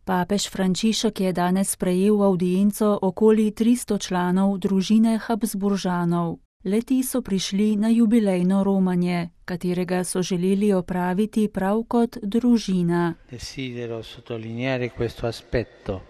Papež Frančišek je danes sprejel avdienco okoli 300 članov družine Habsburžanov. Le-ti so prišli na jubilejno romanje, katerega so želeli opraviti prav kot družina. Desidero sottolineare questo aspetto,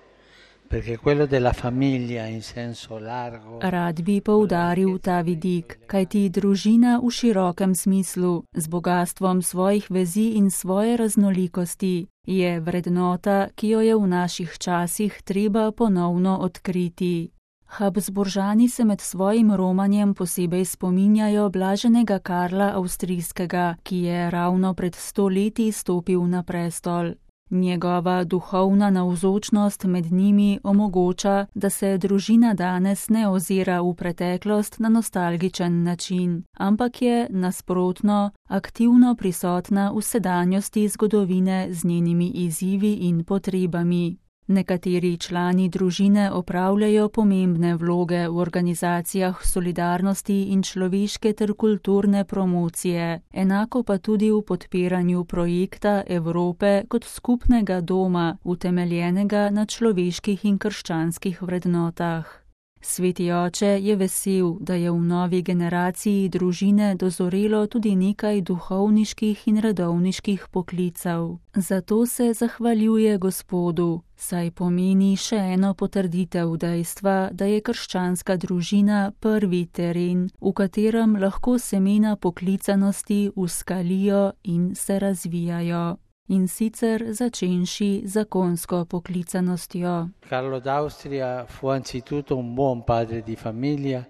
perché quello della famiglia in senso largo. Rad bi poudaril ta vidik, kajti družina v širokem smislu, z bogatstvom svojih vezi in svoje raznolikosti, je vrednota, ki jo je v naših časih treba ponovno odkriti. Habsburžani se med svojim romanjem posebej spominjajo blaženega Karla Avstrijskega, ki je ravno pred 100 leti stopil na prestol. Njegova duhovna navzočnost med njimi omogoča, da se družina danes ne ozira v preteklost na nostalgičen način, ampak je nasprotno aktivno prisotna v sedanjosti zgodovine z njenimi izzivi in potrebami. Nekateri člani družine opravljajo pomembne vloge v organizacijah solidarnosti in človeške ter kulturne promocije, enako pa tudi v podpiranju projekta Evrope kot skupnega doma, utemeljenega na človeških in krščanskih vrednotah. Sveti oče je vesel, da je v novi generaciji družine dozorelo tudi nekaj duhovniških in redovniških poklicev. Zato se zahvaljuje Gospodu, saj pomeni še eno potrditev dejstva, da je krščanska družina prvi teren, v katerem lahko semena poklicanosti uskalijo in se razvijajo. In sicer začenši zakonsko poklicanostjo. Carlo d'Austria fu anzitutto un buon padre di famiglia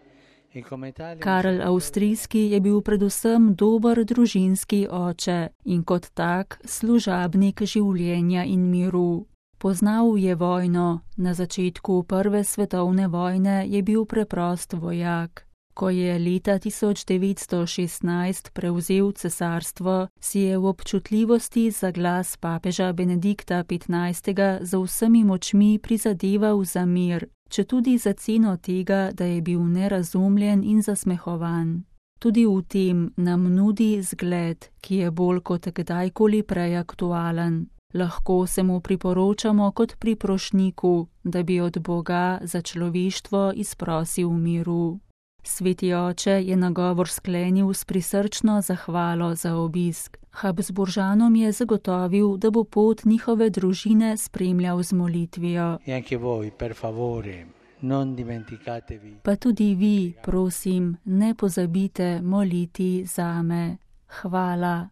e come tale. Karl Avstrijski je bil predvsem dober družinski oče in kot tak služabnik življenja in miru. Poznal je vojno, na začetku Prve svetovne vojne je bil preprost vojak. Ko je leta 1916 prevzel cesarstvo, si je v občutljivosti za glas papeža Benedikta XV. Z vsemi močmi prizadeval za mir, četudi za ceno tega, da je bil nerazumljen in zasmehovan. Tudi v tem nam nudi zgled, ki je bolj kot kdajkoli prej aktualen. Lahko se mu priporočamo kot priprošniku, da bi od Boga za človeštvo izprosil miru. Sveti oče je nagovor sklenil s prisrčno zahvalo za obisk. Habsburžanom je zagotovil, da bo pot njihove družine spremljal z molitvijo. Pa tudi vi, prosim, ne pozabite moliti zame. Hvala.